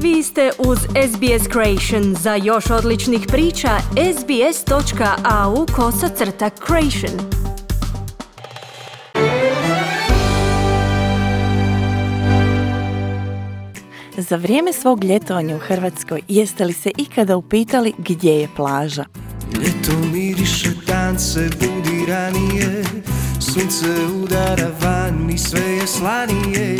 Vi ste uz SBS Creation. Za još odličnih priča, sbs.au/creation. Za vrijeme svog ljetovanja u Hrvatskoj jeste li se ikada upitali gdje je plaža? Ljeto miriše, dan se budi ranije, sunce udara van i sve je slanije.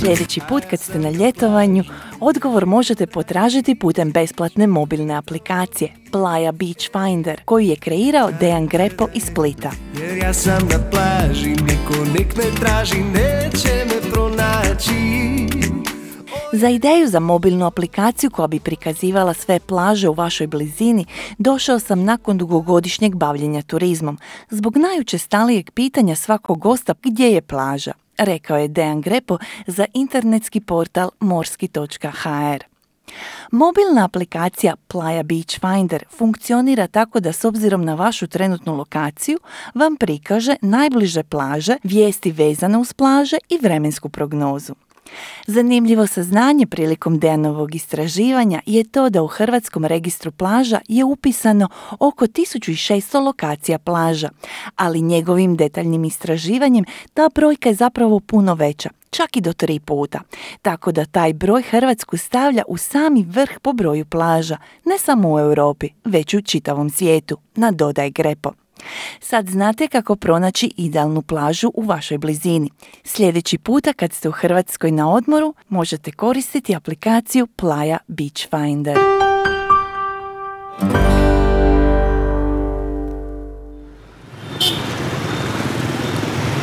Sljedeći put kad ste na ljetovanju, odgovor možete potražiti putem besplatne mobilne aplikacije Playa Beach Finder, koju je kreirao Dejan Grepo iz Splita. Jer ja sam na plaži, niko nek me traži, neće me pronaći. Za ideju za mobilnu aplikaciju koja bi prikazivala sve plaže u vašoj blizini došao sam nakon dugogodišnjeg bavljenja turizmom, zbog najučestalijeg pitanja svakog gosta gdje je plaža, rekao je Dejan Grepo za internetski portal morski.hr. Mobilna aplikacija Playa Beach Finder funkcionira tako da s obzirom na vašu trenutnu lokaciju vam prikaže najbliže plaže, vijesti vezane uz plaže i vremensku prognozu. Zanimljivo saznanje prilikom Dejanovog istraživanja je to da u Hrvatskom registru plaža je upisano oko 1600 lokacija plaža, ali njegovim detaljnim istraživanjem ta brojka je zapravo puno veća, čak i do 3 puta. Tako da taj broj Hrvatsku stavlja u sami vrh po broju plaža, ne samo u Europi, već u čitavom svijetu, nadodaje Grepo. Sad znate kako pronaći idealnu plažu u vašoj blizini. Sljedeći puta kad ste u Hrvatskoj na odmoru, možete koristiti aplikaciju Playa Beach Finder.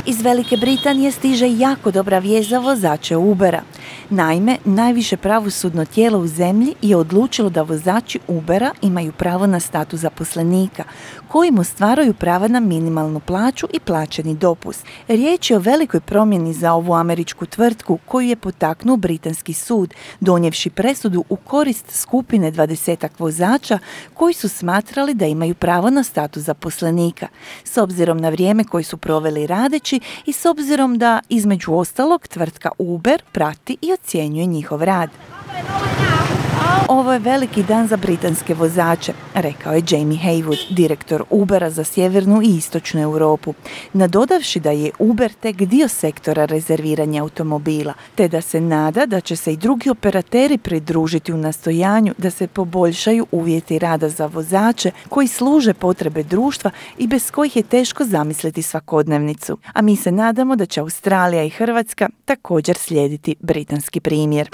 Iz Velike Britanije stiže jako dobra vijest za vozače Ubera. Naime, najviše pravosudno tijelo u zemlji je odlučilo da vozači Ubera imaju pravo na status zaposlenika, kojim ostvaruju prava na minimalnu plaću i plaćeni dopust. Riječ je o velikoj promjeni za ovu američku tvrtku koju je potaknuo britanski sud, donijevši presudu u korist skupine 20 vozača koji su smatrali da imaju pravo na status zaposlenika, s obzirom na vrijeme koje su proveli radeći i s obzirom da, između ostalog, tvrtka Uber prati i ocjenjuje njihov rad. Ovo je veliki dan za britanske vozače, rekao je Jamie Haywood, direktor Ubera za sjevernu i istočnu Europu, nadodavši da je Uber tek dio sektora rezerviranja automobila, te da se nada da će se i drugi operateri pridružiti u nastojanju da se poboljšaju uvjeti rada za vozače koji služe potrebe društva i bez kojih je teško zamisliti svakodnevnicu. A mi se nadamo da će Australija i Hrvatska također slijediti britanski primjer.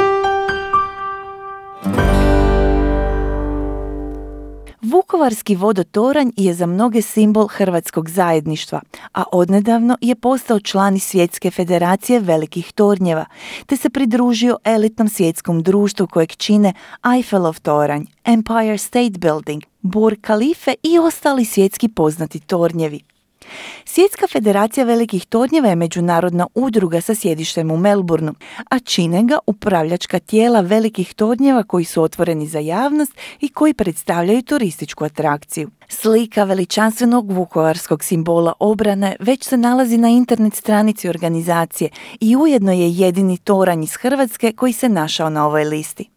Vukovarski vodotoranj je za mnoge simbol hrvatskog zajedništva, a odnedavno je postao član Svjetske federacije velikih tornjeva, te se pridružio elitnom svjetskom društvu kojeg čine Eiffelov toranj, Empire State Building, Burj Khalife i ostali svjetski poznati tornjevi. Svjetska federacija velikih tornjeva je međunarodna udruga sa sjedištem u Melbourneu, a čine ga upravljačka tijela velikih tornjeva koji su otvoreni za javnost i koji predstavljaju turističku atrakciju. Slika veličanstvenog vukovarskog simbola obrane već se nalazi na internet stranici organizacije i ujedno je jedini toranj iz Hrvatske koji se našao na ovoj listi.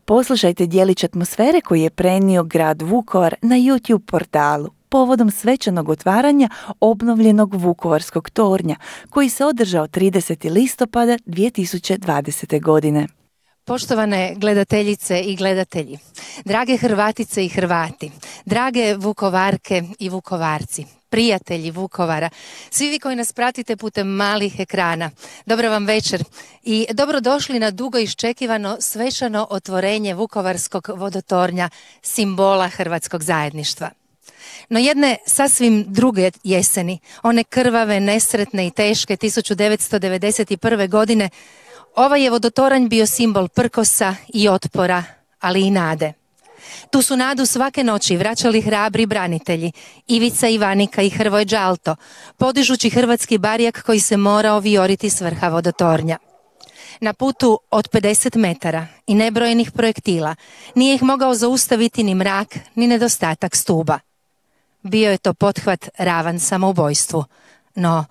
Poslušajte djelić atmosfere koji je prenio grad Vukovar na YouTube portalu povodom svečanog otvaranja obnovljenog Vukovarskog tornja, koji se održao 30. listopada 2020. godine. Poštovane gledateljice i gledatelji, drage Hrvatice i Hrvati, drage Vukovarke i Vukovarci, prijatelji Vukovara, svi vi koji nas pratite putem malih ekrana, dobra vam večer i dobrodošli na dugo iščekivano svečano otvorenje Vukovarskog vodotornja, simbola hrvatskog zajedništva. No jedne sasvim druge jeseni, one krvave, nesretne i teške 1991. godine, ovaj je vodotoranj bio simbol prkosa i otpora, ali i nade. Tu su nadu svake noći vraćali hrabri branitelji, Ivica Ivanika i Hrvoje Đalto, podižući hrvatski barjak koji se morao vijoriti s vrha vodotornja. Na putu od 50 metara i nebrojenih projektila nije ih mogao zaustaviti ni mrak, ni nedostatak stuba. Bio je to pothvat ravan samoubojstvu, no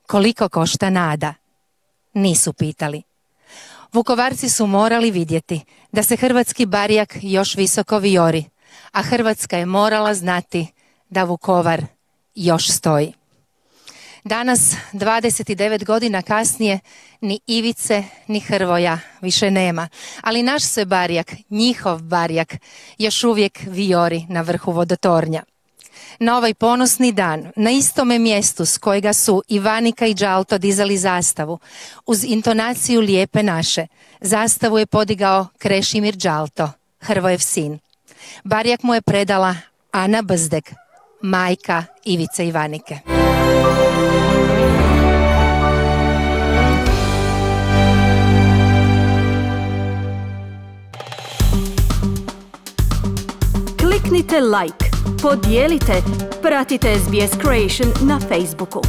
koliko košta nada? Nisu pitali. Vukovarci su morali vidjeti da se hrvatski barjak još visoko vijori, a Hrvatska je morala znati da Vukovar još stoji. Danas, 29 godina kasnije, ni Ivice, ni Hrvoja više nema, ali naš se barjak, njihov barjak, još uvijek vijori na vrhu vodotornja. Na ovaj ponosni dan, na istome mjestu s kojega su Ivanika i Đalto dizali zastavu, uz intonaciju Lijepe naše, zastavu je podigao Krešimir Đalto, Hrvojev sin. Barjak mu je predala Ana Brzdeg, majka Ivice Ivanike. Kliknite like, podijelite, pratite SBS Creation na Facebooku.